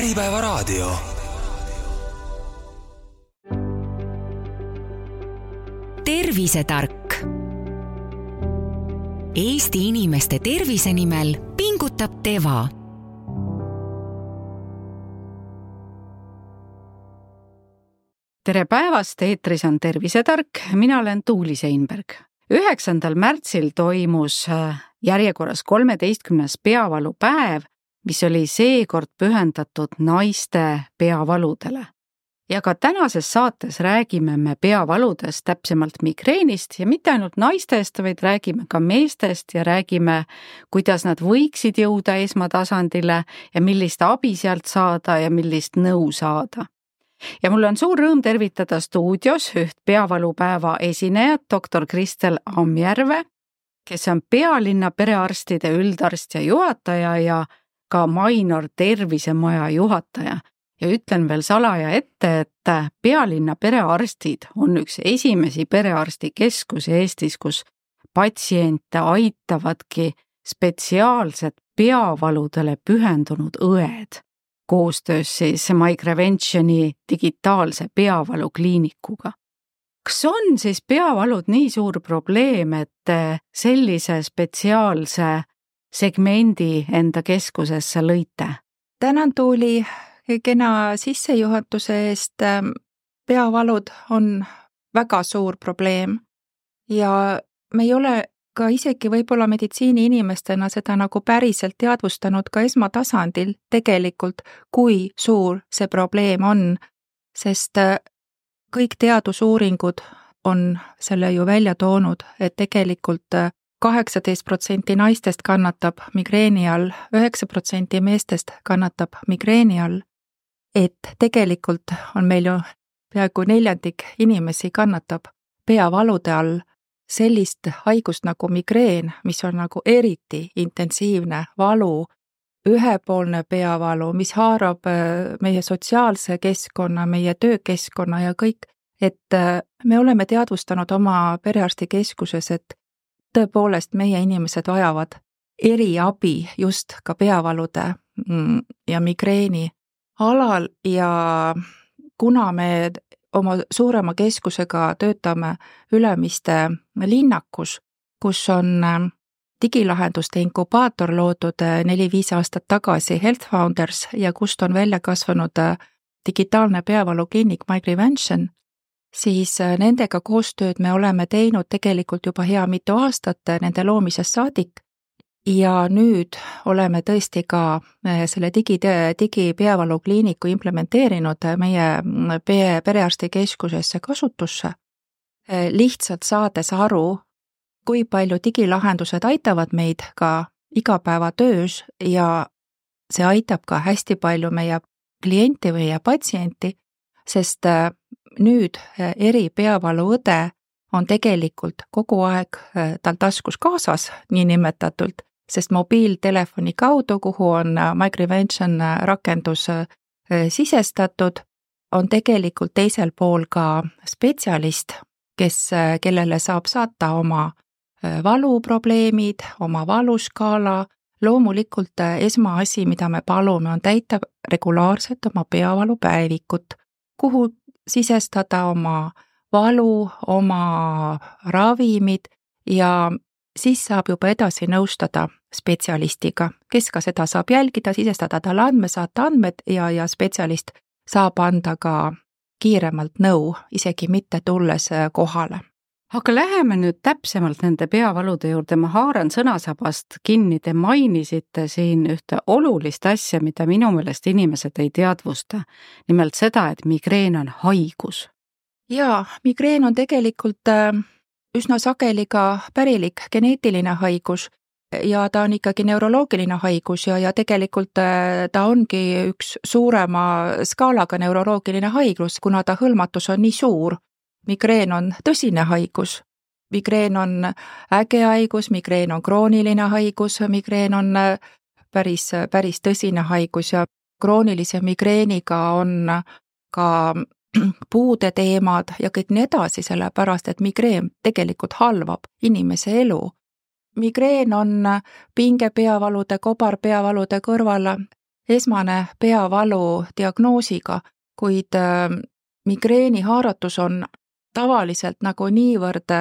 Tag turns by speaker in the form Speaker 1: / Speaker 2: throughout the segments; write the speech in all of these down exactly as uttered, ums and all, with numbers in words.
Speaker 1: Äripäevaraadio.
Speaker 2: Tervisetark. Eesti inimeste tervise nimel pingutab Teva.
Speaker 3: Tere päevast, eetris on Tervisetark, mina olen Tuuli Seinberg. üheksandal märtsil toimus järjekorras kolmeteistkümnes peavalupäev, mis oli seekord pühendatud naiste peavaludele. Ja ka tänases saates räägime me peavaludest, täpsemalt migreenist ja mitte ainult naistest, vaid räägime ka meestest ja räägime, kuidas nad võiksid jõuda esmatasandile ja millist abi sealt saada ja millist nõu saada. Ja mul on suur rõõm tervitada stuudios üht peavalupäeva esinejat, doktor Kristel Ammjärve, kes on pealinna perearstide üldarst ja juhataja ja ka Mainor tervisemaja juhataja. Ja ütlen veel salaja ette, et pealinna perearstid on üks esimesi perearstikeskusi Eestis, kus patsiente aitavadki spetsiaalselt peavaludele pühendunud õed, koostöös siis Migreventioni digitaalse peavalukliinikuga. Kas on siis peavalud nii suur probleem, et sellise spetsiaalse segmendi enda keskusesse lõite?
Speaker 4: Tänan, Tuuli, kena sissejuhatuse eest. Peavalud on väga suur probleem ja me ei ole ka isegi võib-olla meditsiini inimestena seda nagu päriselt teadvustanud ka esmatasandil tegelikult, kui suur see probleem on, sest kõik teadusuuringud on selle ju välja toonud, et tegelikult kaheksateist protsenti naistest kannatab migreeni all, üheksa protsenti meestest kannatab migreeni all, et tegelikult on meil ju peaaegu neljandik inimesi kannatab peavalude all sellist haigust nagu migreen, mis on nagu eriti intensiivne valu, ühepoolne peavalu, mis haarab meie sotsiaalse keskkonna, meie töökeskkonna ja kõik, et me oleme teadvustanud oma perearstikeskuses, et tõepoolest meie inimesed vajavad eriabi just ka peavalude ja migreeni alal ja kuna me oma suurema keskusega töötame Ülemiste linnakus, kus on digilahenduste inkubaator loodud neli-viis aastat tagasi Health Founders ja kust on välja kasvanud digitaalne peavalukliinik Migreventioni, siis nendega koostööd me oleme teinud tegelikult juba hea mitu aastat nende loomisest saadik ja nüüd oleme tõesti ka selle digi, digipeavalukliiniku implementeerinud meie perearstikeskusesse kasutusse, lihtsalt saades aru, kui palju digilahendused aitavad meid ka igapäevatöös ja see aitab ka hästi palju meie klienti või patsienti, sest nüüd eri peavaluõde on tegelikult kogu aeg tal taskus kaasas, nii nimetatult, sest mobiiltelefoni kaudu, kuhu on Migreventioni rakendus sisestatud, on tegelikult teisel pool ka spetsialist, kes, kellele saab saata oma valuprobleemid, oma valuskaala. Loomulikult esmaasi, mida me palume, on täita regulaarselt oma peavalupäevikut, kuhu sisestada oma valu, oma ravimid ja siis saab juba edasi nõustada spetsialistiga, kes ka seda saab jälgida, sisestada talle andme, saata andmed ja, ja spetsialist saab anda ka kiiremalt nõu, isegi mitte tulles kohale.
Speaker 3: Aga läheme nüüd täpsemalt nende peavalude juurde, ma haaran sõnasabast kinni, te mainisite siin ühte olulist asja, mida minu meelest inimesed ei teadvusta, nimelt seda, et migreen on haigus.
Speaker 4: Jaa, migreen on tegelikult üsna sageli ka pärilik geneetiline haigus ja ta on ikkagi neuroloogiline haigus ja, ja tegelikult ta ongi üks suurema skaalaga neuroloogiline haigus, kuna ta hõlmatus on nii suur. Migreen on tõsine haigus, migreen on äge haigus, migreen on krooniline haigus, migreen on päris, päris tõsine haigus ja kroonilise migreeniga on ka puude teemad ja kõik nii edasi, sellepärast, et migreen tegelikult halvab inimese elu. Migreen on pingepeavalude, kobarpeavalude kõrval esmane peavalu diagnoosiga, kuid migreeni haaratus on tavaliselt nagu niivõrd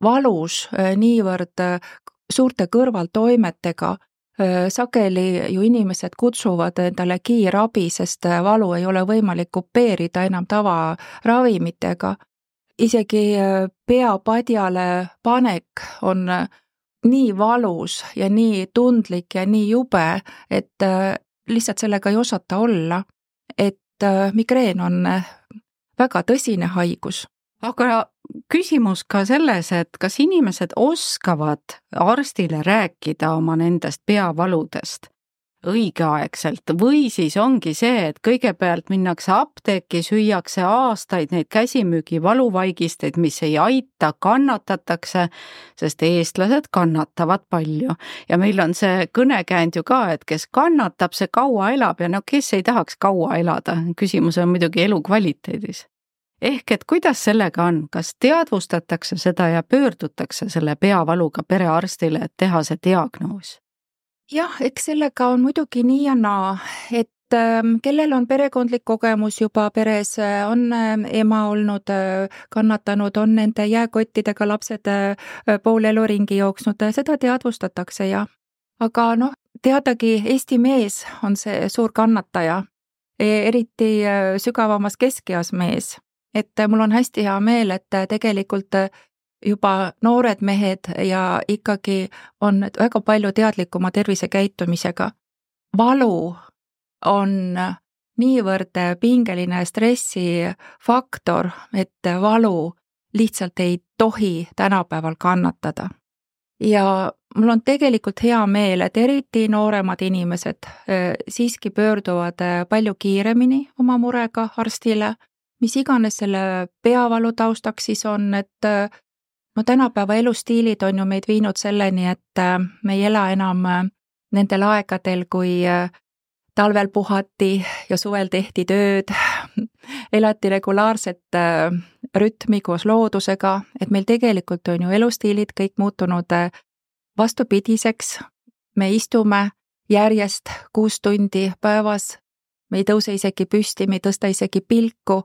Speaker 4: valus, niivõrd suurte kõrvaltoimetega, sageli ju inimesed kutsuvad endale kiirabi, sest valu ei ole võimalik kupeerida enam tavaravimitega. Isegi peapadjale panek on nii valus ja nii tundlik ja nii jube, et lihtsalt sellega ei osata olla, et migreen on väga tõsine haigus.
Speaker 3: Aga küsimus ka selles, et kas inimesed oskavad arstile rääkida oma nendest peavaludest õigeaegselt või siis ongi see, et kõigepealt minnakse apteeki, süüakse aastaid neid käsimüügi valuvaigisteid, mis ei aita, kannatatakse, sest eestlased kannatavad palju. Ja meil on see kõnekäänd ju ka, et kes kannatab, see kaua elab ja no kes ei tahaks kaua elada. Küsimus on muidugi elu kvaliteedis. Ehk et kuidas sellega on, kas teadvustatakse seda ja pöördutakse selle peavaluga perearstile, et teha see diagnoos?
Speaker 4: Jah, eks sellega on muidugi nii ja naa, et kellel on perekondlik kogemus juba peres, on ema olnud kannatanud, on nende jääkottidega lapsed pool elu ringi jooksnud, seda teadvustatakse ja. Aga noh, teadagi Eesti mees on see suur kannataja, eriti sügavamas keskeas mees. Et mul on hästi hea meel, et tegelikult juba noored mehed ja ikkagi on väga palju teadlikuma tervisekäitumisega. Valu on niivõrd pingeline stressifaktor, et valu lihtsalt ei tohi tänapäeval kannatada. Ja mul on tegelikult hea meel, et eriti nooremad inimesed siiski pöörduvad palju kiiremini oma murega arstile, mis iganes selle peavalu taustaks siis on, et no tänapäeva elustiilid on ju meid viinud selleni, et me ei ela enam nendel aegadel, kui talvel puhati ja suvel tehti tööd, elati regulaarset rütmi koos loodusega, et meil tegelikult on ju elustiilid kõik muutunud vastupidiseks. Me istume järjest kuus tundi päevas, me ei tõuse isegi püsti, me ei tõsta isegi pilku,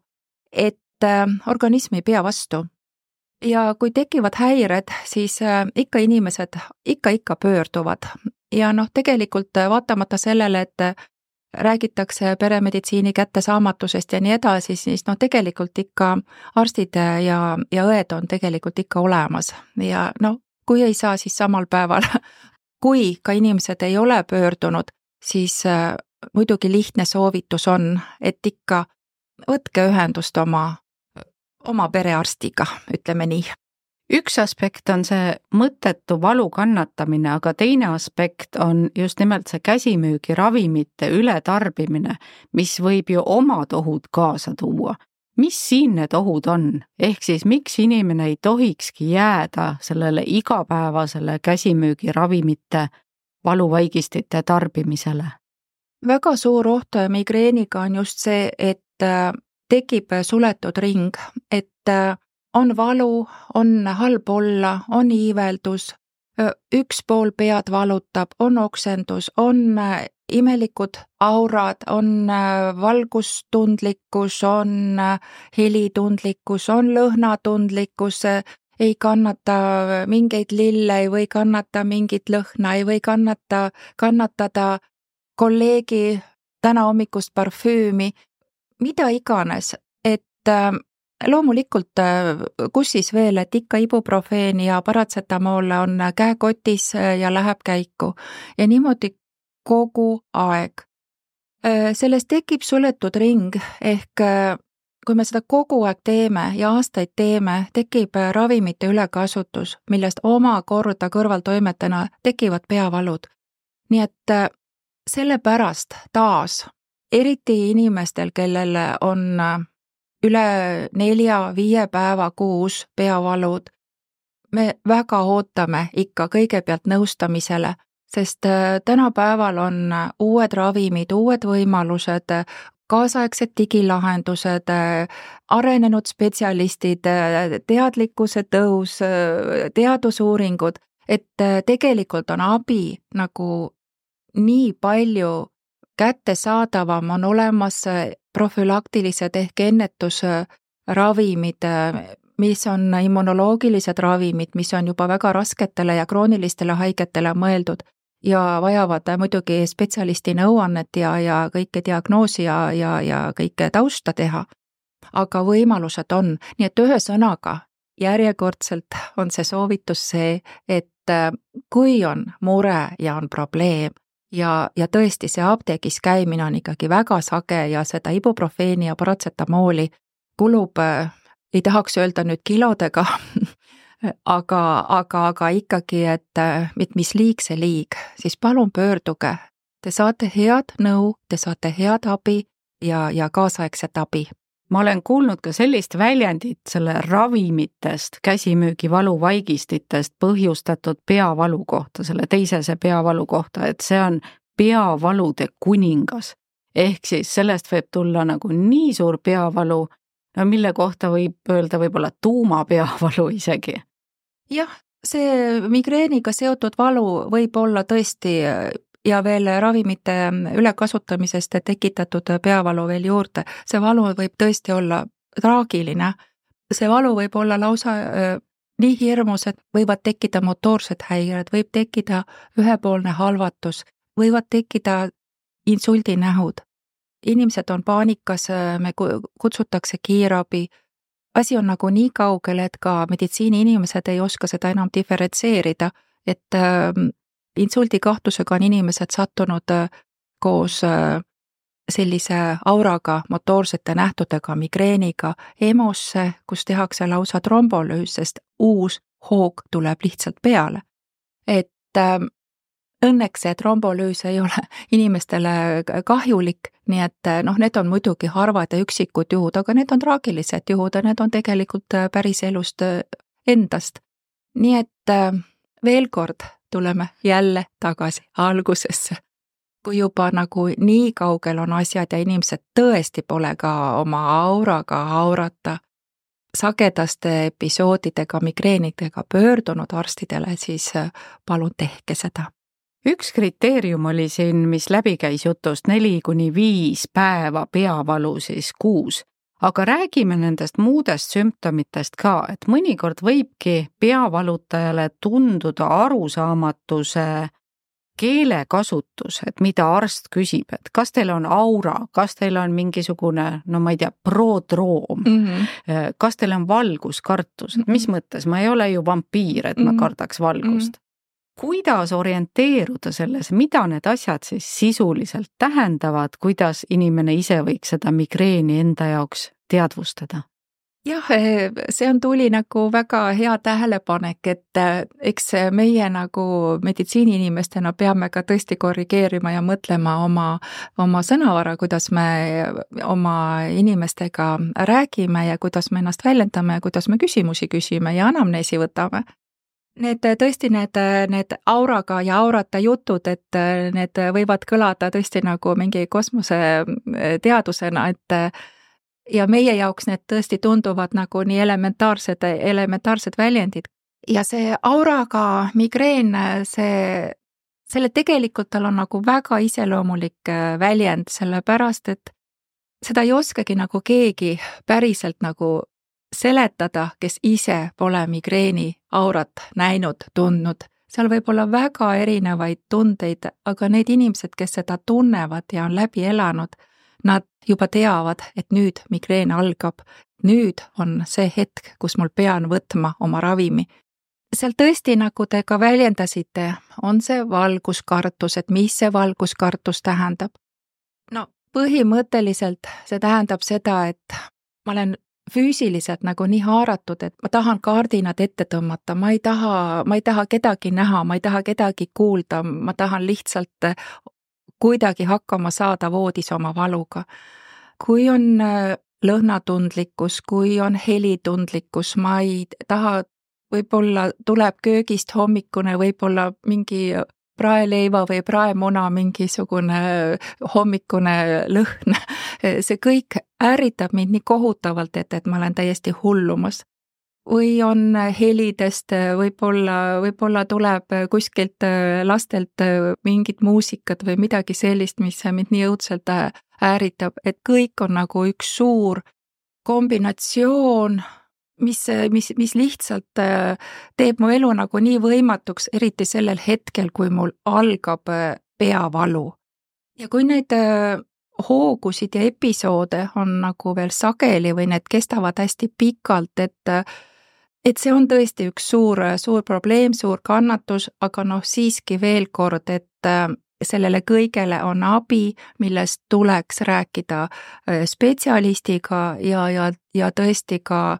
Speaker 4: et organism ei pea vastu. Ja kui tekivad häired, siis ikka inimesed ikka ikka pöörduvad. Ja noh, tegelikult vaatamata sellele, et räägitakse peremeditsiini kättesaamatusest ja nii edasi, siis noh, tegelikult ikka arstid ja, ja õed on tegelikult ikka olemas. Ja noh, kui ei saa, siis samal päeval, kui ka inimesed ei ole pöördunud, siis muidugi lihtne soovitus on, et ikka võtke ühendust oma oma perearstiga, ütleme nii.
Speaker 3: Üks aspekt on see mõttetu valu kannatamine, aga teine aspekt on just nimelt see käsimüügi ravimite ületarbimine, mis võib ju omad ohud kaasa tuua. Mis siin need ohud on? Ehk siis miks inimene ei tohikski jääda sellele igapäevasele käsimüügi ravimite valuvaigistite tarbimisele?
Speaker 4: Väga suur oht migreeniga on just see, et tekib suletud ring, et on valu, on halb olla, on iiveldus, üks pool pead valutab, on oksendus, on imelikud aurad, on valgustundlikkus, on helitundlikkus, on lõhnatundlikkus, ei kannata mingeid lille, ei või kannata mingit lõhna, ei või kannata, kannatada kolleegi täna hommikust parfüümi, mida iganes, et loomulikult kus siis veel, et ikka ibuprofeen ja paratsetamool on käekotis ja läheb käiku ja niimoodi kogu aeg. Sellest tekib suletud ring, ehk kui me seda kogu aeg teeme ja aastaid teeme, tekib ravimite ülekasutus, millest omakorda kõrvaltoimetena tekivad peavalud. Nii et sellepärast taas eriti inimestel, kellel on üle nelja-viie päeva kuus peavalud, me väga ootame ikka kõigepealt nõustamisele, sest tänapäeval on uued ravimid, uued võimalused, kaasaegsed digilahendused, arenenud spetsialistid, teadlikkuse tõus, teadusuuringud, et tegelikult on abi nagu nii palju kättesaadavam, on olemas profülaktilised ehk ennetusravimid, mis on immunoloogilised ravimid, mis on juba väga rasketele ja kroonilistele haigetele mõeldud ja vajavad muidugi spetsialisti nõuannet ja, ja kõike diagnoosi ja, ja, ja kõike tausta teha. Aga võimalused on, nii et ühe sõnaga järjekordselt on see soovitus see, et kui on mure ja on probleem ja, ja tõesti see apteegis käimine on ikkagi väga sage ja seda ibuprofeeni ja paratsetamooli kulub, ei tahaks öelda nüüd kilodega, aga, aga, aga ikkagi, et mis liig see liig, siis palun pöörduge. Te saate head nõu, te saate head abi ja, ja kaasaegset abi.
Speaker 3: Ma olen kuulnud ka sellist väljendit selle ravimitest, käsimüügivalu vaigistitest põhjustatud peavalu kohta, selle teisese peavalu kohta, et see on peavalude kuningas. Ehk siis sellest võib tulla nagu nii suur peavalu, no mille kohta võib öelda võib-olla tuumapeavalu isegi.
Speaker 4: Jah, see migreeniga seotud valu võib olla tõesti ja veel ravimite ülekasutamisest tekitatud peavalu veel juurde. See valu võib tõesti olla traagiline. See valu võib olla lausa äh, nii hirmus, et võivad tekkida motoorsed häired, võib tekkida ühepoolne halvatus, võivad tekkida insuldinähud. Inimesed on paanikas, me kutsutakse kiirabi. Asi on nagu nii kaugel, et ka meditsiini inimesed ei oska seda enam diferentseerida, et äh, insuldikahtlusega on inimesed sattunud koos sellise auraga, motoorsete nähtudega, migreeniga, EMO-sse, kus tehakse lausa trombolüüs, sest uus hoog tuleb lihtsalt peale. Et äh, õnneks see trombolüüs ei ole inimestele kahjulik, nii et noh, need on muidugi harvad ja üksikud juhud, aga need on traagilised juhud ja need on tegelikult päris elust endast. Nii et äh, veel kord tuleme jälle tagasi algusesse. Kui juba nagu nii kaugel on asjad ja inimesed tõesti pole ka oma auraga aurata, sagedaste episoodidega, migreenidega pöördunud arstidele, siis palun tehke seda.
Speaker 3: Üks kriteerium oli siin, mis läbi käis jutust, neli kuni viis päeva peavalu siis kuus. Aga räägime nendest muudest sümptomitest ka, et mõnikord võibki peavalutajale tunduda arusaamatuse keelekasutus, et mida arst küsib, et kas teil on aura, kas teil on mingisugune, no ma ei tea, prodroom, mm-hmm. kas teil on valguskartus, et mis mõttes, ma ei ole ju vampiir, et ma kardaks valgust. Mm-hmm. Kuidas orienteeruda selles, mida need asjad siis sisuliselt tähendavad, kuidas inimene ise võiks seda migreeni enda jaoks teadvustada?
Speaker 4: Jah, see on tuli nagu väga hea tähelepanek, et eks meie nagu meditsiiniinimestena peame ka tõesti korrigeerima ja mõtlema oma, oma sõnavara, kuidas me oma inimestega räägime ja kuidas me ennast väljendame ja kuidas me küsimusi küsime ja anamneesi võtame. Need tõesti need, need auraga ja aurata jutud, et need võivad kõlada tõesti nagu mingi kosmose teadusena, et ja meie jaoks need tõesti tunduvad nagu nii elementaarsed, elementaarsed väljendid. Ja see auraga migreen, see, selle tegelikult tal on nagu väga iseloomulik väljend, sellepärast, et seda ei oskagi nagu keegi päriselt nagu seletada, kes ise pole migreeni aurat näinud, tundnud. Seal võib olla väga erinevaid tundeid, aga need inimesed, kes seda tunnevad ja on läbi elanud, nad juba teavad, et nüüd migreen algab. Nüüd on see hetk, kus mul pean võtma oma ravimi. Seal tõesti, nagu te ka väljendasite, on see valguskartus, et mis see valguskartus tähendab? No põhimõtteliselt see tähendab seda, et ma olen füüsiliselt nagu nii haaratud, et ma tahan kaardinad ette tõmmata, ma ei taha, ma ei taha kedagi näha, ma ei taha kedagi kuulda, ma tahan lihtsalt kuidagi hakkama saada voodis oma valuga. Kui on lõhnatundlikkus, kui on helitundlikkus, ma ei taha, võib-olla tuleb köögist hommikune, võib-olla mingi praeleiva või praemuna mingisugune hommikune lõhn. See kõik ärritab mind nii kohutavalt, et, et ma olen täiesti hullumas. või on helidest, võib-olla, võib-olla tuleb kuskilt lastelt mingit muusikat või midagi sellist, mis mind nii õudselt ääritab, et kõik on nagu üks suur kombinatsioon, mis, mis, mis lihtsalt teeb mu elu nagu nii võimatuks, eriti sellel hetkel, kui mul algab peavalu. Ja kui neid hoogusid ja episoode on nagu veel sageli või need kestavad hästi pikalt, et et see on tõesti üks suur, suur probleem, suur kannatus, aga noh, siiski veel kord, et sellele kõigele on abi, millest tuleks rääkida spetsialistiga ja, ja, ja tõesti ka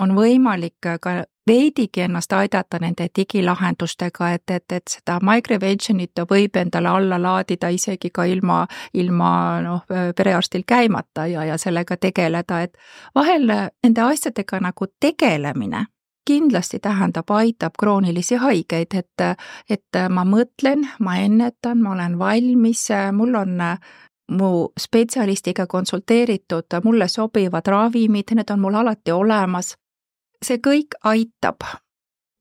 Speaker 4: on võimalik ka veidigi ennast aidata nende digilahendustega, et, et, et seda MyGreventionit võib endale alla laadida isegi ka ilma, ilma noh, perearstil käimata ja, ja sellega tegeleda, et vahel nende asjadega nagu tegelemine kindlasti tähendab, aitab kroonilisi haigeid, et, et ma mõtlen, ma ennetan, ma olen valmis, mul on mu spetsialistiga konsulteeritud, mulle sobivad ravimid, need on mul alati olemas. See kõik aitab.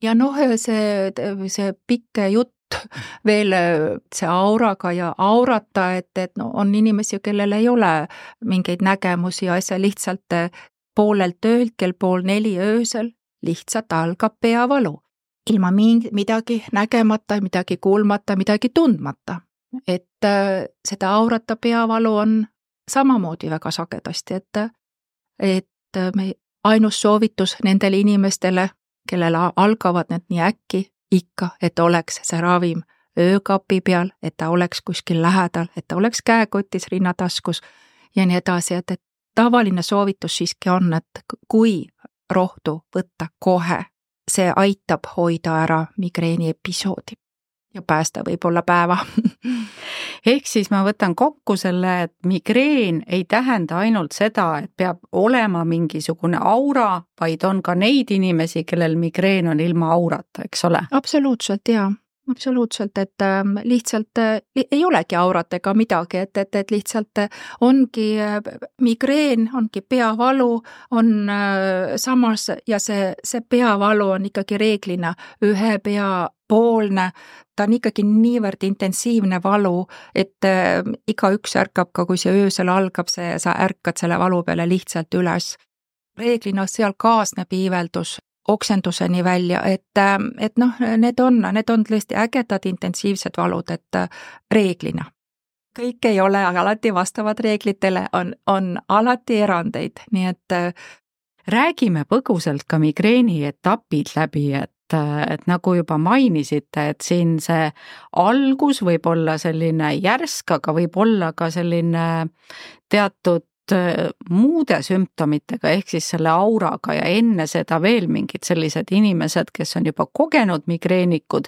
Speaker 4: Ja noh, see, see pikk jutt veel see auraga ja aurata, et, et no, on inimesi, kellel ei ole mingeid nägemusi ja asja lihtsalt poolelt öölt, kell pool neli öösel lihtsalt algab peavalu. Ilma midagi nägemata, midagi kuulmata, midagi tundmata. Et seda aurata peavalu on samamoodi väga sagedasti, et, et me ainus soovitus nendele inimestele, kellel algavad need nii äkki, ikka, et oleks see ravim öökapi peal, et ta oleks kuskil lähedal, et ta oleks käekotis, rinnataskus ja nii edasi, et, et tavaline soovitus siiski on, et kui rohtu võtta kohe, see aitab hoida ära migreeni episoodi ja päästa võib-olla päeva.
Speaker 3: Ehk siis ma võtan kokku selle, et migreen ei tähenda ainult seda, et peab olema mingisugune aura, vaid on ka neid inimesi, kellel migreen on ilma aurata, eks ole?
Speaker 4: Absoluutselt, jaa. Absoluutselt, et lihtsalt ei olegi aurat ega midagi, et, et, et lihtsalt ongi migreen, ongi peavalu, on samas ja see, see peavalu on ikkagi reeglina ühe peapoolne, ta on ikkagi niivõrd intensiivne valu, et iga üks ärkab ka, kui see öösel algab, see, sa ärkad selle valu peale lihtsalt üles. Reeglina seal kaasneb iiveldus oksenduseni välja, et, et noh, need on, need on tõesti ägedad intensiivsed valud, et reeglina. Kõik ei ole alati vastavad reeglitele, on, on alati erandeid, nii et
Speaker 3: räägime põgusalt ka migreeni etapid läbi, et, et nagu juba mainisite, et siin see algus võib olla selline järsk, aga võib olla ka selline teatud muude sümptomitega, ehk siis selle auraga ja enne seda veel mingid sellised inimesed, kes on juba kogenud migreenikud,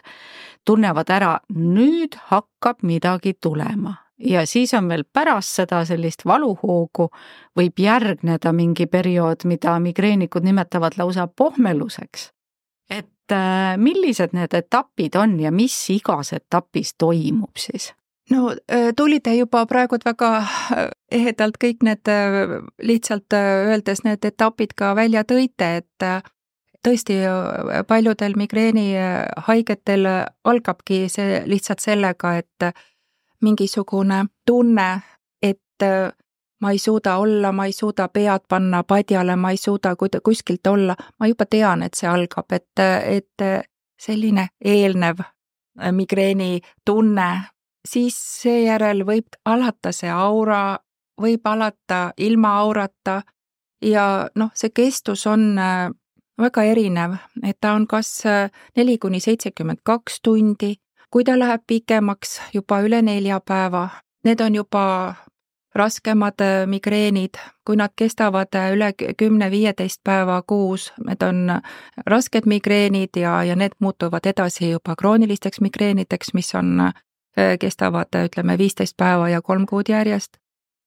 Speaker 3: tunnevad ära, nüüd hakkab midagi tulema. Ja siis on veel pärast seda sellist valuhoogu võib järgneda mingi periood, mida migreenikud nimetavad lausa pohmeluseks. Et millised need etapid on ja mis igas etapis toimub siis?
Speaker 4: No tulite juba praegu väga ehedalt kõik need lihtsalt öeldes need etapid ka välja tõite, et tõesti paljudel migreeni haigetel algabki see lihtsalt sellega, et mingisugune tunne, et ma ei suuda olla, ma ei suuda pead panna padjale, ma ei suuda kuskilt olla, ma juba tean, et see algab, et, et selline eelnev migreeni tunne, siis seejärel võib alata see aura, võib alata ilma aurata ja noh, see kestus on väga erinev, et ta on kas neli kuni seitsekümmend kaks tundi, kui ta läheb pikemaks juba üle nelja päeva, need on juba raskemad migreenid, kui nad kestavad üle kümne viieteist päeva kuus, need on rasked migreenid ja, ja need muutuvad edasi juba kroonilisteks migreenideks, mis on kestavad, ütleme, viisteist päeva ja kolm kuud järjest.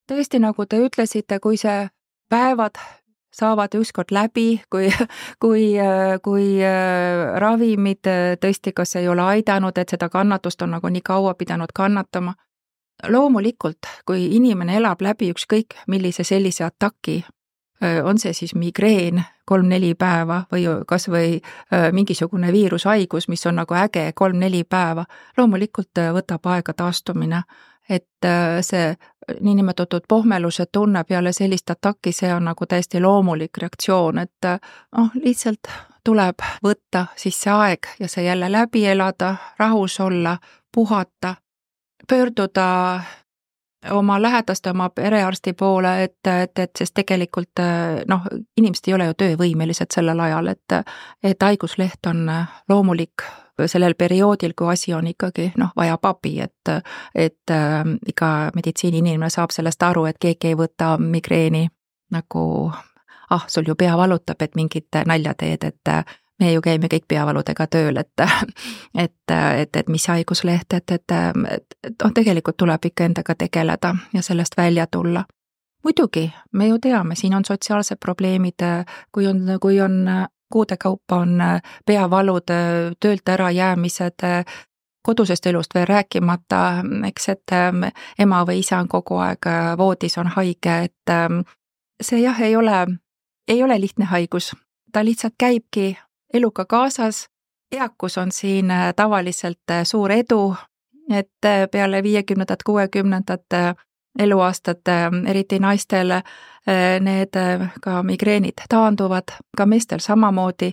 Speaker 4: Tõesti, nagu te ütlesite, kui see päevad saavad ükskord läbi, kui, kui, kui ravimid tõesti kas ei ole aidanud, et seda kannatust on nagu nii kaua pidanud kannatama. Loomulikult, kui inimene elab läbi ükskõik millise sellise ataki, on see siis migreen kolm-neli päeva või kas või mingisugune viirushaigus, mis on nagu äge kolm-neli päeva, loomulikult võtab aega taastumine. Et see niinimetatud pohmeluse tunne peale sellist ataki, see on nagu täiesti loomulik reaktsioon, et oh, lihtsalt tuleb võtta siis see aeg ja see jälle läbi elada, rahus olla, puhata, pöörduda oma lähedaste, oma perearsti poole, et, et, et sest tegelikult noh, inimesed ei ole ju töövõimelised sellel ajal, et, et haigusleht on loomulik sellel perioodil, kui asi on ikkagi noh, vajab abi, et, et äh, iga meditsiiniinimene saab sellest aru, et keegi ei võta migreeni nagu ah, sul ju pea valutab, et mingit nalja teed, et me ju käime kõik peavaludega tööl, et et, et, et mis haigusleht, et, et, et, et noh, tegelikult tuleb ikka endaga tegeleda ja sellest välja tulla. Muidugi, me ju teame, siin on sotsiaalsed probleemid, kui on, kui on kuude kaupa on peavalud, töölt ära jäämised, kodusest elust veel rääkimata, eks, et ema või isa on kogu aeg voodis, on haige, et see jah, ei ole, ei ole lihtne haigus. Ta lihtsalt käibki eluga kaasas, eakus on siin tavaliselt suur edu, et peale viiekümnendat, kuuekümnendat eluaastat, eriti naistel, need ka migreenid taanduvad, ka meestel samamoodi,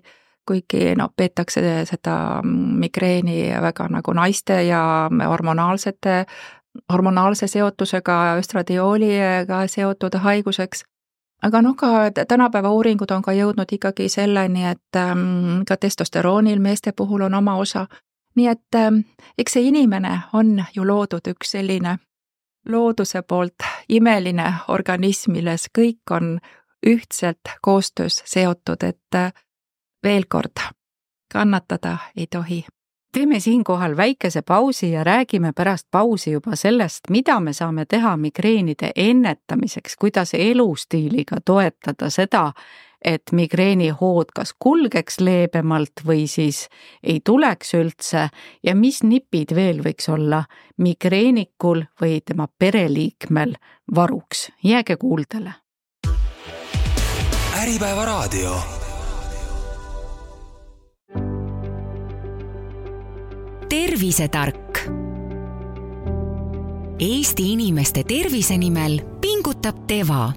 Speaker 4: kuigi no, peetakse seda migreeni väga nagu naiste ja hormonaalsete, hormonaalse seotusega, östradioliga seotud haiguseks. Aga noh, ka tänapäeva uuringud on ka jõudnud ikkagi selleni, et ka testosteroonil meeste puhul on oma osa. Nii et eks see inimene on ju loodud üks selline looduse poolt imeline organism, milles kõik on ühtselt koostöös seotud, et veel kord, kannatada ei tohi.
Speaker 3: Teeme siinkohal väikese pausi ja räägime pärast pausi juba sellest, mida me saame teha migreenide ennetamiseks, kuidas elustiiliga toetada seda, et migreenihood kas kulgeks leebemalt või siis ei tuleks üldse ja mis nipid veel võiks olla migreenikul või tema pereliikmel varuks. Jääge kuuldele.
Speaker 1: Äripäeva raadio.
Speaker 2: Tervisetark. Eesti inimeste tervise nimel pingutab Teva.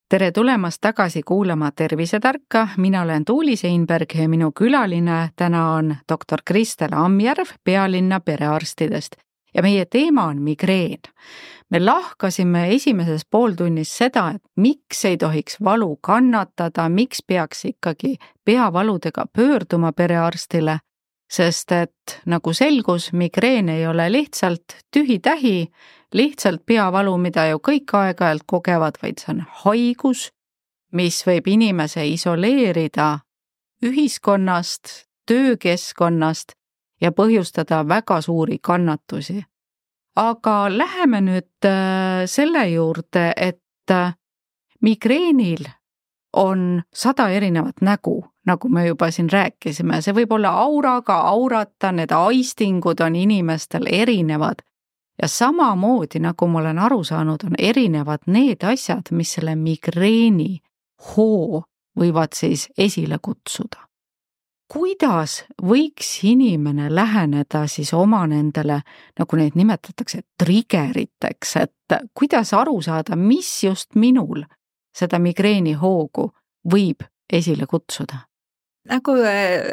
Speaker 3: Tere tulemast tagasi kuulama Tervisetarka, mina olen Tuuli Seinberg ja minu külaline täna on doktor Kristel Amjärv Pealinna perearstidest ja meie teema on migreen. Me lahkasime esimeses pooltunnis seda, et miks ei tohiks valu kannatada, miks peaks ikkagi peavaludega pöörduma perearstile, sest et nagu selgus, migreen ei ole lihtsalt tühi-tähi, lihtsalt peavalu, mida ju kõik aeg-ajalt kogevad, vaid see on haigus, mis võib inimese isoleerida ühiskonnast, töökeskkonnast ja põhjustada väga suuri kannatusi. Aga läheme nüüd selle juurde, et migreenil on sada erinevat nägu, nagu me juba siin rääkisime. See võib olla auraga aurata, need aistingud on inimestel erinevad. Ja samamoodi, nagu ma olen aru saanud, on erinevad need asjad, mis selle migreeni hoo võivad siis esile kutsuda. Kuidas võiks inimene läheneda siis oma nendele, nagu neid nimetatakse, triggeriteks, et kuidas aru saada, mis just minul seda migreeni hoogu võib esile kutsuda?
Speaker 4: Nagu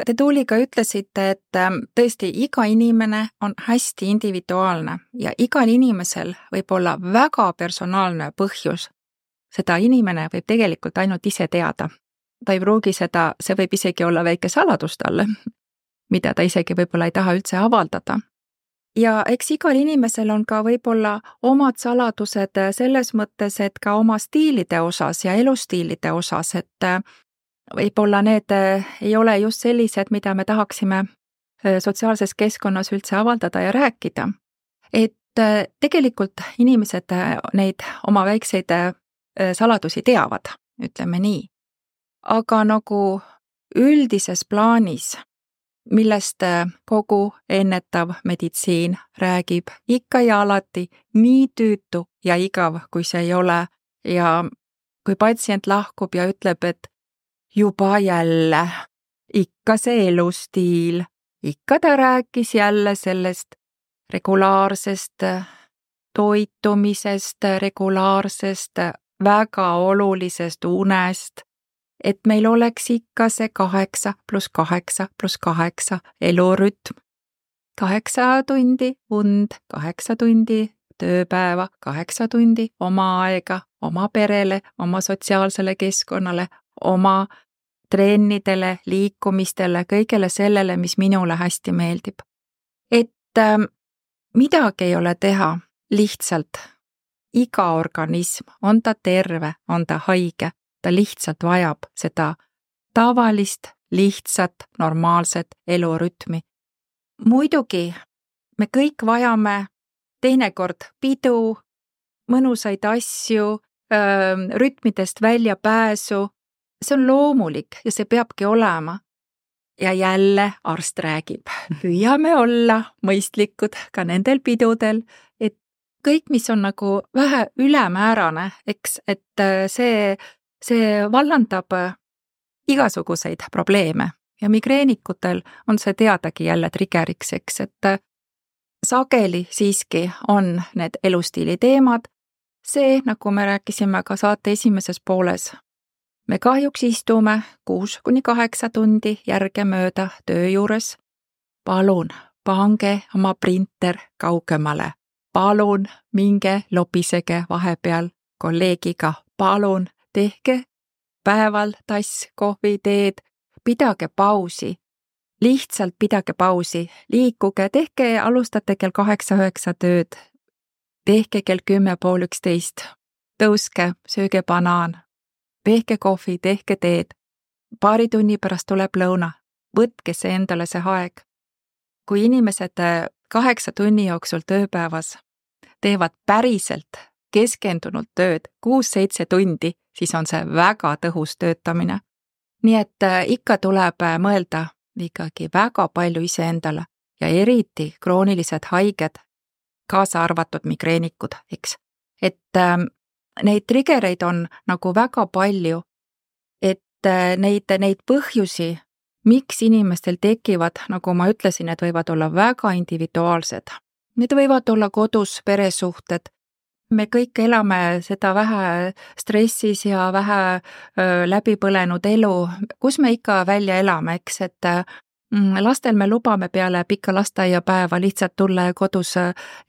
Speaker 4: te Tuuliga ütlesite, et tõesti iga inimene on hästi individuaalne ja igal inimesel võib olla väga personaalne põhjus. Seda inimene võib tegelikult ainult ise teada. Ta ei pruugi seda, see võib isegi olla väike saladus talle, mida ta isegi võib-olla ei taha üldse avaldada. Ja eks igal inimesel on ka võib-olla omad saladused selles mõttes, et ka oma stiilide osas ja elustiilide osas, et võib-olla need ei ole just sellised, mida me tahaksime sotsiaalses keskkonnas üldse avaldada ja rääkida. Et tegelikult inimesed neid oma väikseid saladusi teavad, ütleme nii. Aga nagu üldises plaanis millest kogu ennetav meditsiin räägib ikka ja alati, nii tüütu ja igav, kui see ei ole. Ja kui patsient lahkub ja ütleb, et juba jälle, ikka see elustiil, ikka ta rääkis jälle sellest regulaarsest toitumisest, regulaarsest, väga olulisest unest, et meil oleks ikka see kaheksa pluss kaheksa pluss kaheksa elurütm. Kaheksa tundi und, kaheksa tundi tööpäeva, kaheksa tundi oma aega, oma perele, oma sotsiaalsele keskkonnale, oma trennidele, liikumistele, kõigele sellele, mis minule hästi meeldib. Et äh, midagi ei ole teha, lihtsalt iga organism, on ta terve, on ta haige, ta lihtsalt vajab seda tavalist, lihtsat, normaalset elurütmi. Muidugi me kõik vajame teinekord pidu, mõnusaid asju, öö, rütmidest välja pääsu. See on loomulik ja see peabki olema. Ja jälle arst räägib, püüame olla mõistlikud ka nendel pidudel, et kõik, mis on nagu vähe ülemäärane, eks, et see, see vallandab igasuguseid probleeme ja migreenikutel on see teadagi jälle trigeriks, eks, et sageli siiski on need elustiili teemad. See, nagu me rääkisime ka saate esimeses pooles, me kahjuks istume kuus kuni kaheksa tundi järgemööda töö juures. Palun, pange oma printer kaugemale. Palun, minge lobisege vahepeal kolleegiga. Palun, tehke päeval tass kohvi, teed, pidage pausi. Lihtsalt pidage pausi, liikuge, tehke, alustate kell kaheksa üheksa tööd. Tehke kell kümme pool üksteist. Tõuske, sööge banaan. Tehke kohvi, tehke teed. Paari tunni pärast tuleb lõuna. Võtke see endale see aeg. Kui inimesed kaheksa tunni jooksul tööpäevas teevad päriselt keskendunult tööd kuus-seitse tundi, siis on see väga tõhus töötamine. Nii et ikka tuleb mõelda ikkagi väga palju iseendale ja eriti kroonilised haiged, kaasa arvatud migreenikud, eks. Et neid trigereid on nagu väga palju, et neid, neid põhjusi, miks inimestel tekivad, nagu ma ütlesin, need võivad olla väga individuaalsed. Need võivad olla kodus peresuhted. Me kõik elame seda vähe stressis ja vähe öö, läbipõlenud elu, kus me ikka välja elame, eks, et mm, lastel me lubame peale pikka lasteaiapäeva lihtsalt tulla ja kodus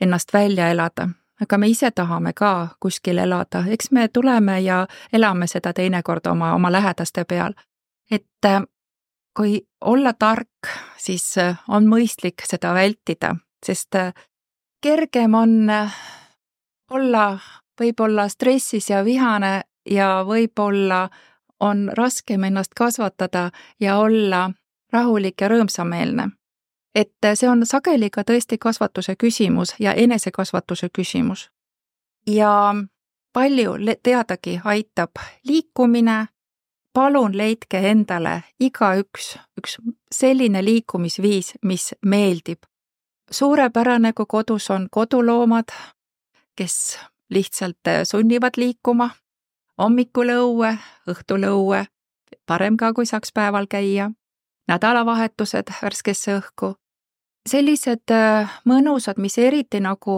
Speaker 4: ennast välja elada. Aga me ise tahame ka kuskil elada, eks me tuleme ja elame seda teinekord oma, oma lähedaste peal. Et kui olla tark, siis on mõistlik seda vältida, sest kergem on olla võib-olla stressis ja vihane ja võib-olla on raskem ennast kasvatada ja olla rahulik ja rõõmsameelne. Et see on sageli ka tõesti kasvatuse küsimus ja enesekasvatuse küsimus. Ja palju teadagi aitab liikumine. Palun leidke endale igaüks üks selline liikumisviis, mis meeldib. Suurepärane, kui kodus on koduloomad, kes lihtsalt sunnivad liikuma, hommikul õue, õhtul õue, parem ka, kui saaks päeval käia, nädalavahetused värskesse õhku. Sellised mõnusad, mis eriti nagu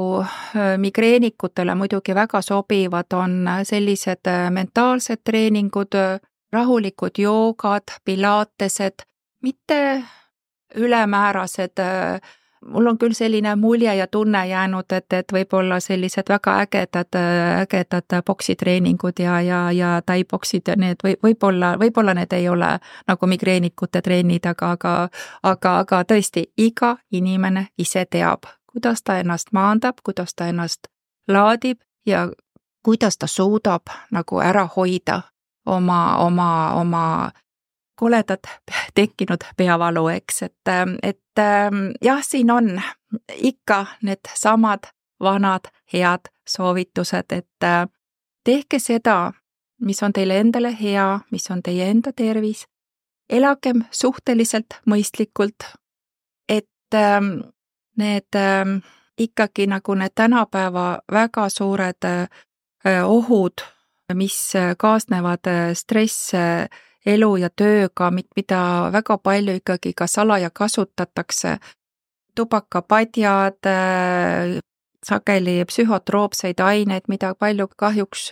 Speaker 4: migreenikutele muidugi väga sobivad, on sellised mentaalsed treeningud, rahulikud joogad, pilatesed, mitte ülemäärased. Mul on küll selline mulje ja tunne jäänud, et, et võib-olla sellised väga ägedad, ägedad boksitreeningud ja, ja, ja taiboksid ja need või, võib-olla, võib-olla need ei ole nagu migreenikute treenid, aga, aga, aga, aga tõesti iga inimene ise teab, kuidas ta ennast maandab, kuidas ta ennast laadib ja kuidas ta suudab nagu ära hoida oma, oma, oma koledad tekkinud peavalu, eks, et, et jah, siin on ikka need samad vanad head soovitused, et tehke seda, mis on teile endale hea, mis on teie enda tervis, elagem suhteliselt mõistlikult, need ikkagi nagu need tänapäeva väga suured ohud, mis kaasnevad stress elu ja tööga, mida väga palju ikkagi ka salaja kasutatakse, tubakapadjad, sageli psühhotroopseid aineid, mida palju kahjuks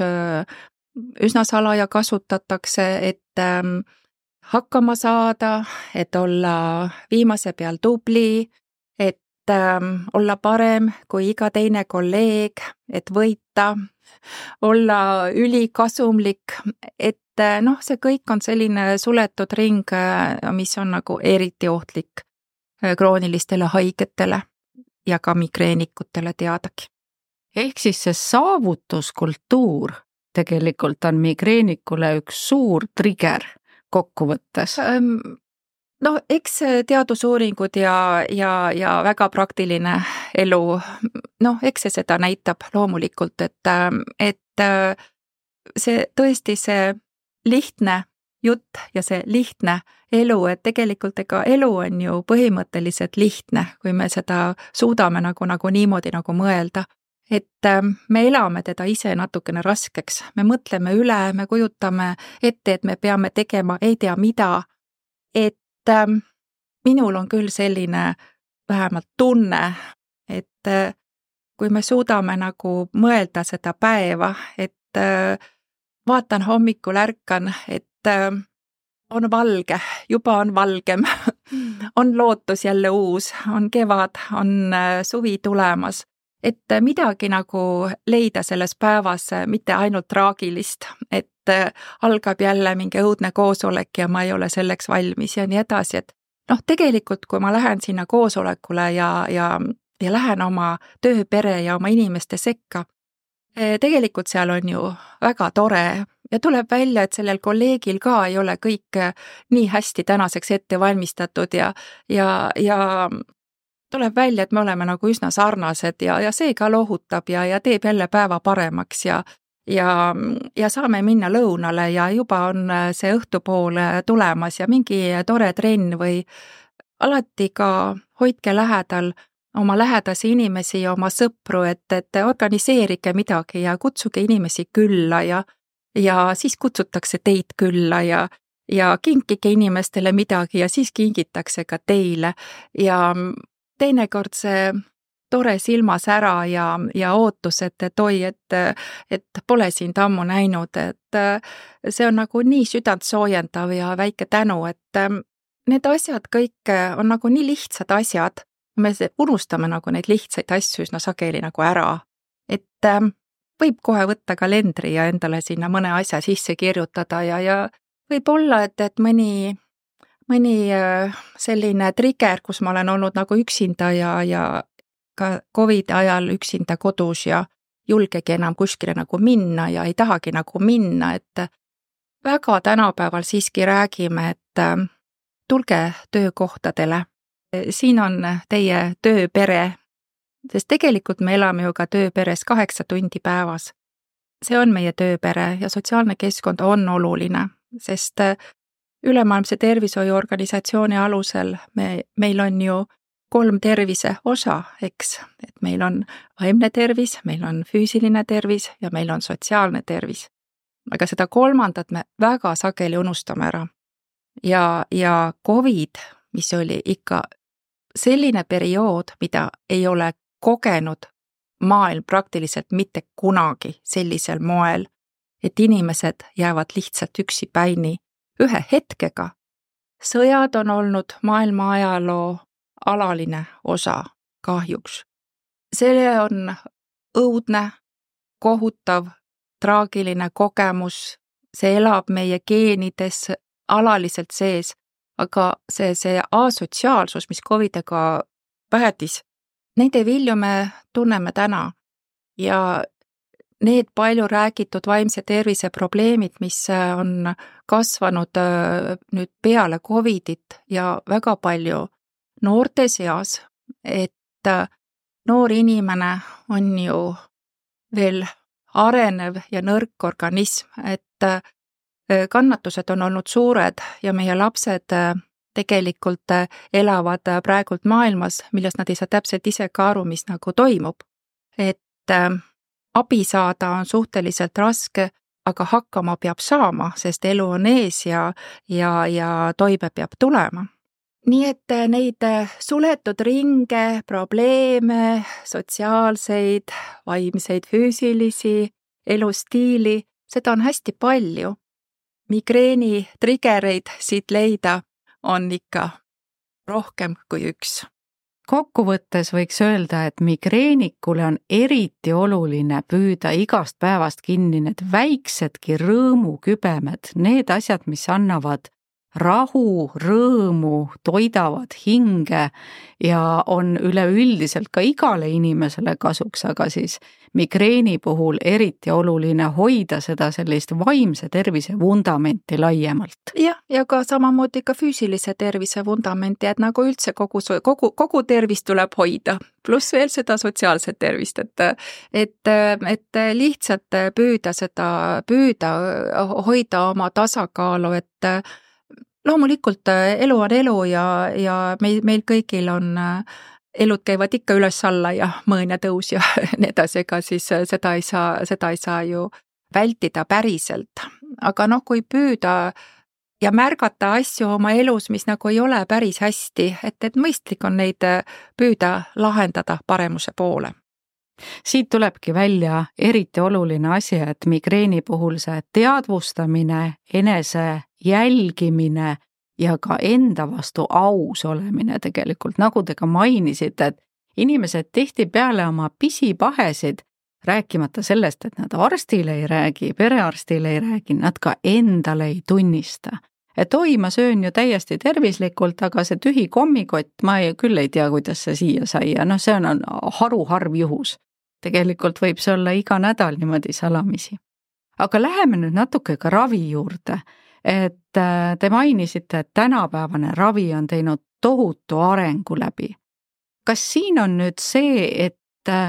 Speaker 4: üsna salaja kasutatakse, et hakkama saada, et olla viimase peal tubli, et olla parem kui iga teine kolleeg, et võita, olla ülikasumlik, et noh, see kõik on selline suletud ring, mis on nagu eriti ohtlik kroonilistele haigetele ja ka migreenikutele teadagi.
Speaker 3: Ehk siis see saavutuskultuur tegelikult on migreenikule üks suur trigger kokkuvõttes.
Speaker 4: No eks teadusuuringud ja, ja, ja väga praktiline elu, noh, eks see seda näitab loomulikult, et, et see tõesti see lihtne jutt ja see lihtne elu, et tegelikult ega elu on ju põhimõtteliselt lihtne, kui me seda suudame nagu, nagu niimoodi nagu mõelda. Et me elame teda ise natukene raskeks, me mõtleme üle, me kujutame ette, et me peame tegema ei tea mida, et minul on küll selline vähemalt tunne, et kui me suudame nagu mõelda seda päeva, et vaatan hommikul ärkan, et on valge, juba on valgem, on lootus jälle uus, on kevad, on suvi tulemas, et midagi nagu leida selles päevas mitte ainult traagilist, et algab jälle mingi õudne koosolek ja ma ei ole selleks valmis ja nii edasi, et noh, tegelikult kui ma lähen sinna koosolekule ja, ja, ja lähen oma tööpere ja oma inimeste sekka, tegelikult seal on ju väga tore ja tuleb välja, et sellel kolleegil ka ei ole kõik nii hästi tänaseks ette valmistatud ja, ja, ja tuleb välja, et me oleme nagu üsna sarnased ja, ja see ka lohutab ja, ja teeb jälle päeva paremaks ja, ja, ja saame minna lõunale ja juba on see õhtupool tulemas ja mingi tore trenn või alati ka hoidke lähedal oma lähedasi inimesi ja oma sõpru, et, et organiseerige midagi ja kutsuge inimesi külla ja, ja siis kutsutakse teid külla ja, ja kinkige inimestele midagi ja siis kingitakse ka teile ja teinekord see tore silmas ära ja, ja ootus, et, et oi, et, et pole sind ammu näinud, et see on nagu nii südant soojendav ja väike tänu, et need asjad kõik on nagu nii lihtsad asjad, me unustame nagu neid lihtsaid asju üsna sageli nagu ära, et võib kohe võtta kalendri ja endale sinna mõne asja sisse kirjutada ja, ja võib olla, et, et mõni mõni selline trigger, kus ma olen olnud nagu üksinda ja, ja ka Covidi ajal üksinda kodus ja julgegi enam kuskile nagu minna ja ei tahagi nagu minna, et väga tänapäeval siiski räägime, et tulge töökohtadele. Siin on teie tööpere, sest tegelikult me elame ju ka tööperes kaheksa tundi päevas. See on meie tööpere ja sotsiaalne keskkond on oluline, sest Ülemaailmse tervishoiuorganisatsiooni alusel me, meil on ju kolm tervise osa, eks, et meil on vaimne tervis, meil on füüsiline tervis ja meil on sotsiaalne tervis. Aga seda kolmandat me väga sageli unustame ära. Ja, ja Covid, mis oli ikka selline periood, mida ei ole kogenud maailm praktiliselt mitte kunagi sellisel moel, et inimesed jäävad lihtsalt üksipäini ühe hetkega. Sõjad on olnud maailma ajaloo alaline osa kahjuks. See on õudne, kohutav, traagiline kogemus, see elab meie geenides alaliselt sees, aga see, see asotsiaalsus, mis Covidiga päädis, neid vilju me tunneme täna ja need palju räägitud vaimse tervise probleemid, mis on kasvanud nüüd peale Covidit ja väga palju noorte seas, et noor inimene on ju veel arenev ja nõrk organism, et kannatused on olnud suured ja meie lapsed tegelikult elavad praegult maailmas, millest nad ei saa täpselt ise ka aru, mis nagu toimub. Et abi saada on suhteliselt raske, aga hakkama peab saama, sest elu on ees ja, ja, ja toime peab tulema. Nii et neid suletud ringe, probleeme, sotsiaalseid, vaimseid, füüsilisi, elustiili, seda on hästi palju. Migreeni triggereid siit leida on ikka rohkem kui üks.
Speaker 3: Kokkuvõttes võiks öelda, et migreenikule on eriti oluline püüda igast päevast kinni need väiksedki rõõmukübemed, need asjad, mis annavad rahu, rõõmu, toidavad hinge ja on üleüldiselt ka igale inimesele kasuks, aga siis migreeni puhul eriti oluline hoida seda sellist vaimse tervise vundamenti laiemalt.
Speaker 4: Jah, ja ka samamoodi ka füüsilise tervise vundamenti, et nagu üldse kogu, kogu, kogu tervist tuleb hoida, pluss veel seda sotsiaalset tervist, et, et, et lihtsalt püüda seda, püüda hoida oma tasakaalu, et loomulikult elu on elu ja, ja meil, meil kõigil on, elud käivad ikka üles-alla ja mõõn ja tõus ja nii edasi, ega siis seda ei saa, seda ei saa ju vältida päriselt. Aga noh, kui püüda ja märgata asju oma elus, mis nagu ei ole päris hästi, et, et mõistlik on neid püüda lahendada paremuse poole.
Speaker 3: Siit tulebki välja eriti oluline asi, et migreeni puhul see teadvustamine, enese jälgimine ja ka enda vastu aus olemine tegelikult, nagu te ka mainisite, et inimesed tihtipeale oma pisipahesid, rääkimata sellest, et nad arstile ei räägi, perearstile ei räägi, nad ka endale ei tunnista. Et oi, ma söön ju täiesti tervislikult, aga see tühi kommikott, ma ei, küll ei tea, kuidas see siia sai ja noh, see on haruharv juhus. Tegelikult võib see olla iga nädal niimoodi salamisi. Aga läheme nüüd natuke ka ravi juurde, et te mainisite, et tänapäevane ravi on teinud tohutu arengu läbi. Kas siin on nüüd see, et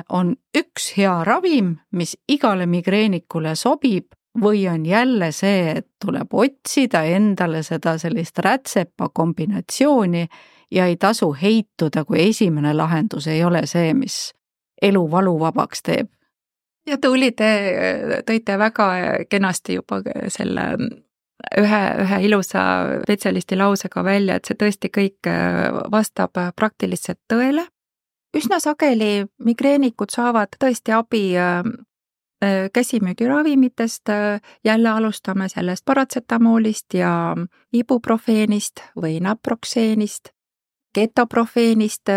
Speaker 3: on üks hea ravim, mis igale migreenikule sobib, või on jälle see, et tuleb otsida endale seda sellist rätsepa kombinatsiooni ja ei tasu heituda, kui esimene lahendus ei ole see, mis elu valuvabaks teeb?
Speaker 4: Ja Tuuli, te tõite väga kenasti juba selle ühe, ühe ilusa spetsialisti lausega välja, et see tõesti kõik vastab praktiliselt tõele. Üsna sageli migreenikud saavad tõesti abi käsimüügiravimitest, jälle alustame sellest paratsetamoolist ja ibuprofeenist või naproxeenist, ketoprofeenist,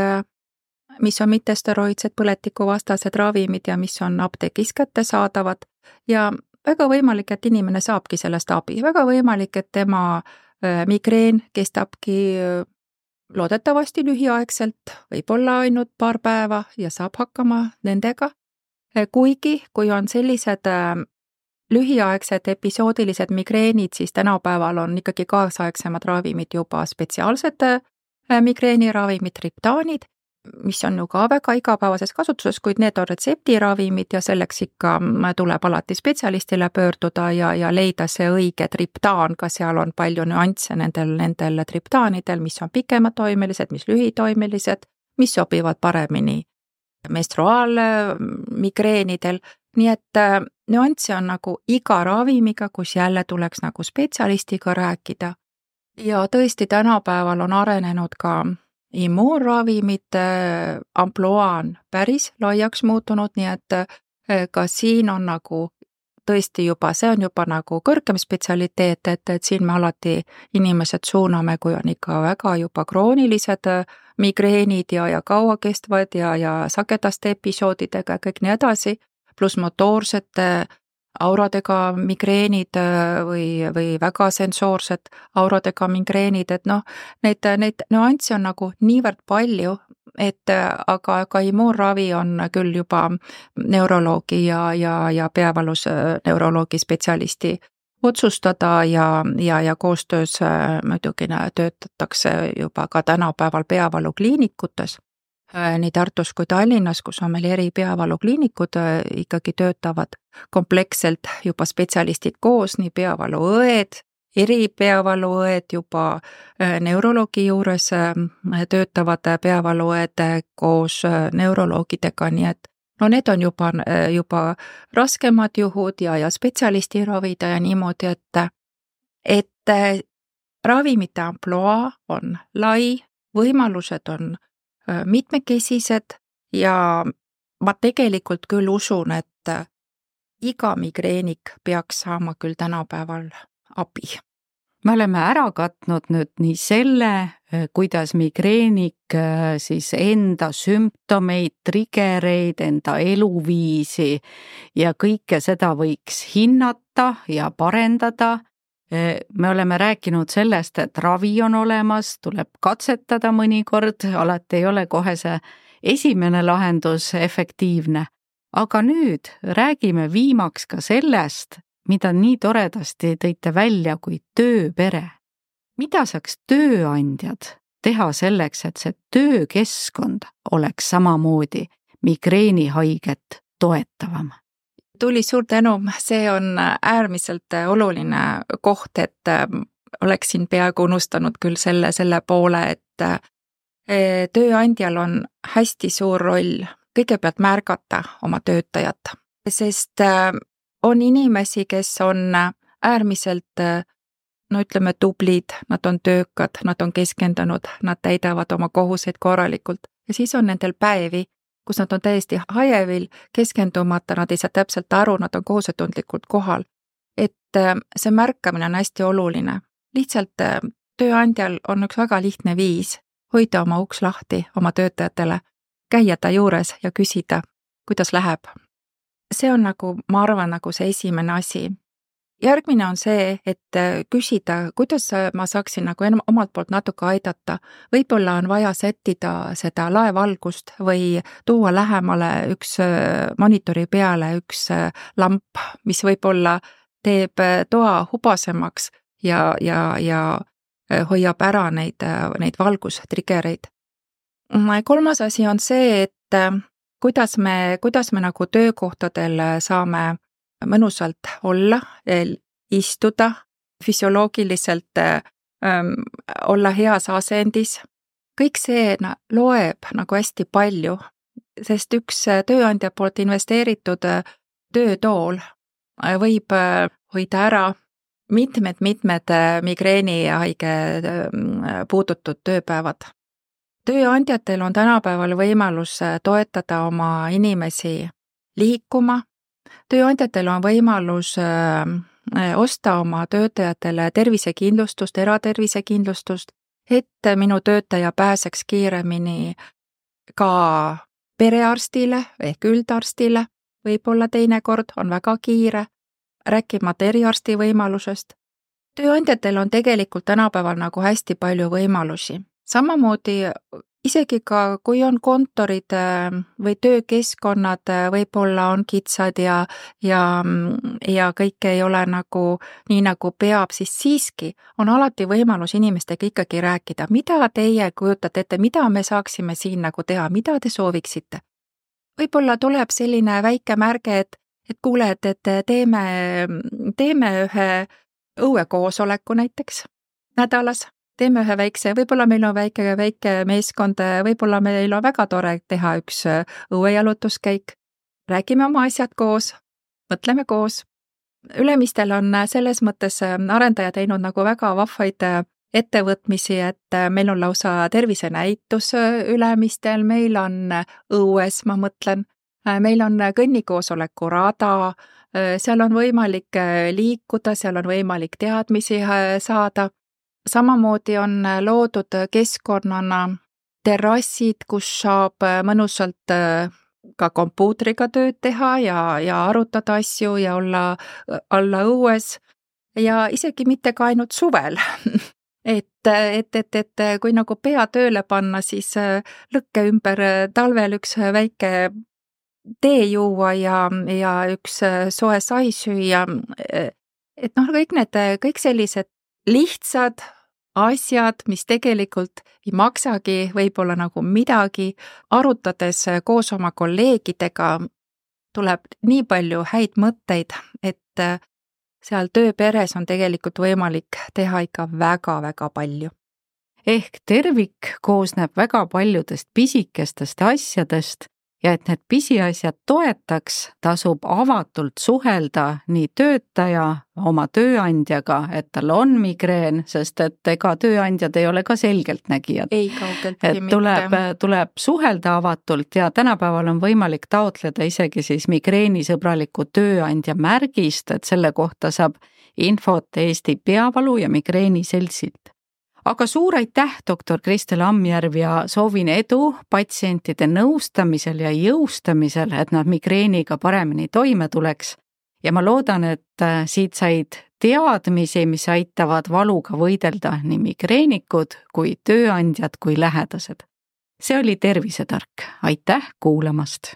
Speaker 4: mis on mittesteroidsed põletikuvastased ravimid ja mis on apteegis kättesaadavad ja väga võimalik, et inimene saabki sellest abi, väga võimalik, et tema migreen kestabki loodetavasti lühiaegselt, võib-olla ainult paar päeva ja saab hakkama nendega. Kuigi, kui on sellised lühiaegsed episoodilised migreenid, siis tänapäeval on ikkagi kaasaegsemad ravimid juba spetsiaalsed migreeniravimid, triptaanid, mis on ju ka väga igapäevases kasutuses, kuid need on retseptiravimid ja selleks ikka tuleb alati spetsialistile pöörduda ja, ja leida see õige triptaan, ka seal on palju nüansse nendel, nendel triptaanidel, mis on pikematoimelised, mis lühitoimelised, mis sobivad paremini menstruaalmigreenidel, nii et nüansse on nagu iga ravimiga, kus jälle tuleks nagu spetsialistiga rääkida. Ja tõesti tänapäeval on arenenud ka immuunravimite ampluaan päris laiaks muutunud, nii et ka siin on nagu tõesti juba, see on juba nagu kõrgem spetsialiteet, et, et siin me alati inimesed suuname, kui on ikka väga juba kroonilised migreenid ja, ja kauakestvad ja, ja sagedaste episoodidega ja kõik nii edasi, pluss motoorsete auradega migreenid või, või väga sensoorsed auradega migreenid, et noh, neid, neid nüansse on nagu niivõrd palju, et aga, aga immuunravi on küll juba neuroloogi ja, ja, ja peavalus neuroloogi spetsialisti otsustada ja, ja, ja koostöös muidugi töötatakse juba ka tänapäeval peavalukliinikutes. Nii Tartus kui Tallinnas, kus on meil eri peavalukliinikud, ikkagi töötavad kompleksselt juba spetsialistid koos, nii peavaluõed, eripeavaluõed, juba neuroloogi juures töötavad peavaluõed koos neuroloogidega, nii et no need on juba, juba raskemad juhud ja, ja spetsialisti ravida ja niimoodi, et, et ravimite ampluaa on lai, võimalused on mitmekesised ja ma tegelikult küll usun, et iga migreenik peaks saama küll tänapäeval abi.
Speaker 3: Me oleme ära katnud nüüd nii selle, kuidas migreenik siis enda sümptomeid, trigereid, enda eluviisi ja kõike seda võiks hinnata ja parendada. Me oleme rääkinud sellest, et ravi on olemas, tuleb katsetada mõnikord, alati ei ole kohe see esimene lahendus efektiivne. Aga nüüd räägime viimaks ka sellest, mida nii toredasti tõite välja kui tööpere. Mida saaks tööandjad teha selleks, et see töökeskkond oleks samamoodi migreenihaiget toetavam?
Speaker 4: Tuli suur tänu, see on äärmiselt oluline koht, et oleksin peaaegu unustanud küll selle, selle poole, et tööandjal on hästi suur roll kõigepealt märgata oma töötajat, sest on inimesi, kes on äärmiselt, no ütleme, tublid, nad on töökad, nad on keskendunud, nad täidavad oma kohuseid korralikult ja siis on nendel päevi, kus nad on täiesti hajevil, keskendumata, nad ei saa täpselt aru, nad on kohusetundlikult kohal. Et see märkamine on hästi oluline. Lihtsalt tööandjal on üks väga lihtne viis hoida oma uks lahti oma töötajatele, käia ta juures ja küsida, kuidas läheb. See on nagu, ma arvan, nagu see esimene asi. Järgmine on see, et küsida, kuidas ma saaksin nagu omalt poolt natuke aidata. Võib-olla on vaja sättida seda laevalgust või tuua lähemale üks monitori peale üks lamp, mis võib-olla teeb toa hubasemaks ja, ja, ja hoiab ära neid, neid valgustrigereid. Kolmas asi on see, et kuidas me, kuidas me nagu töökohtadel saame mõnusalt olla, istuda, füsioloogiliselt ähm, olla heas asendis. Kõik see na, loeb nagu hästi palju, sest üks tööandja poolt investeeritud töötool võib hoida ära mitmed-mitmed migreenihaige puudutud tööpäevad. Tööandjatel on tänapäeval võimalus toetada oma inimesi liikuma. Tööandjatel on võimalus osta oma töötajatele tervisekindlustust, eratervisekindlustust, et minu töötaja pääseks kiiremini ka perearstile ehk üldarstile. Võib-olla teinekord on väga kiire, rääkimata eriarsti võimalusest. Tööandjatel on tegelikult tänapäeval nagu hästi palju võimalusi. Samamoodi isegi ka, kui on kontorid või töökeskkonnad, võib-olla on kitsad ja, ja, ja kõike ei ole nagu nii nagu peab, siis siiski on alati võimalus inimestega ikkagi rääkida, mida teie kujutate ette, mida me saaksime siin nagu teha, mida te sooviksite. Võib-olla tuleb selline väike märge, et, et kuule, et, et teeme, teeme ühe õuekoosoleku näiteks nädalas. Teeme ühe väikse, võib-olla meil on väike, väike meeskond, võib-olla meil on väga tore teha üks õuejalutuskäik. Räägime oma asjad koos, mõtleme koos. Ülemistel on selles mõttes arendaja teinud nagu väga vahvaid ettevõtmisi, et meil on lausa tervisenäitus ülemistel, meil on õues, ma mõtlen, meil on kõnnikoosoleku rada, seal on võimalik liikuda, seal on võimalik teadmisi saada. Samamoodi on loodud keskkonnana terrassid, kus saab mõnusalt ka kompuutriga tööd teha ja, ja arutada asju ja olla, olla õues ja isegi mitte ka ainult suvel. et, et, et, et kui nagu pea tööle panna, siis lõkke ümber talvel üks väike tee juua ja, ja üks soe sai süüa. Et noh, kõik need, kõik sellised lihtsad asjad, mis tegelikult ei maksagi võib-olla nagu midagi, arutades koos oma kolleegidega tuleb nii palju häid mõtteid, et seal tööperes on tegelikult võimalik teha ikka väga-väga palju.
Speaker 3: Ehk tervik koosneb väga paljudest pisikestest asjadest ja et need pisiasjad toetaks, tasub avatult suhelda nii töötaja oma tööandjaga, et tal on migreen, sest et ega tööandjad ei ole ka selgeltnägijad.
Speaker 4: Ei kaugeltki
Speaker 3: et tuleb, tuleb suhelda avatult ja tänapäeval on võimalik taotleda isegi siis migreenisõbraliku tööandja märgist, et selle kohta saab infot Eesti Peavalu ja Migreeni Seltsilt. Aga suur aitäh, doktor Kristel Ammjärv ja soovin edu patsientide nõustamisel ja jõustamisel, et nad migreeniga paremini toime tuleks. Ja ma loodan, et siit said teadmisi, mis aitavad valuga võidelda nii migreenikud kui tööandjad kui lähedased. See oli Tervisetark. Aitäh kuulamast!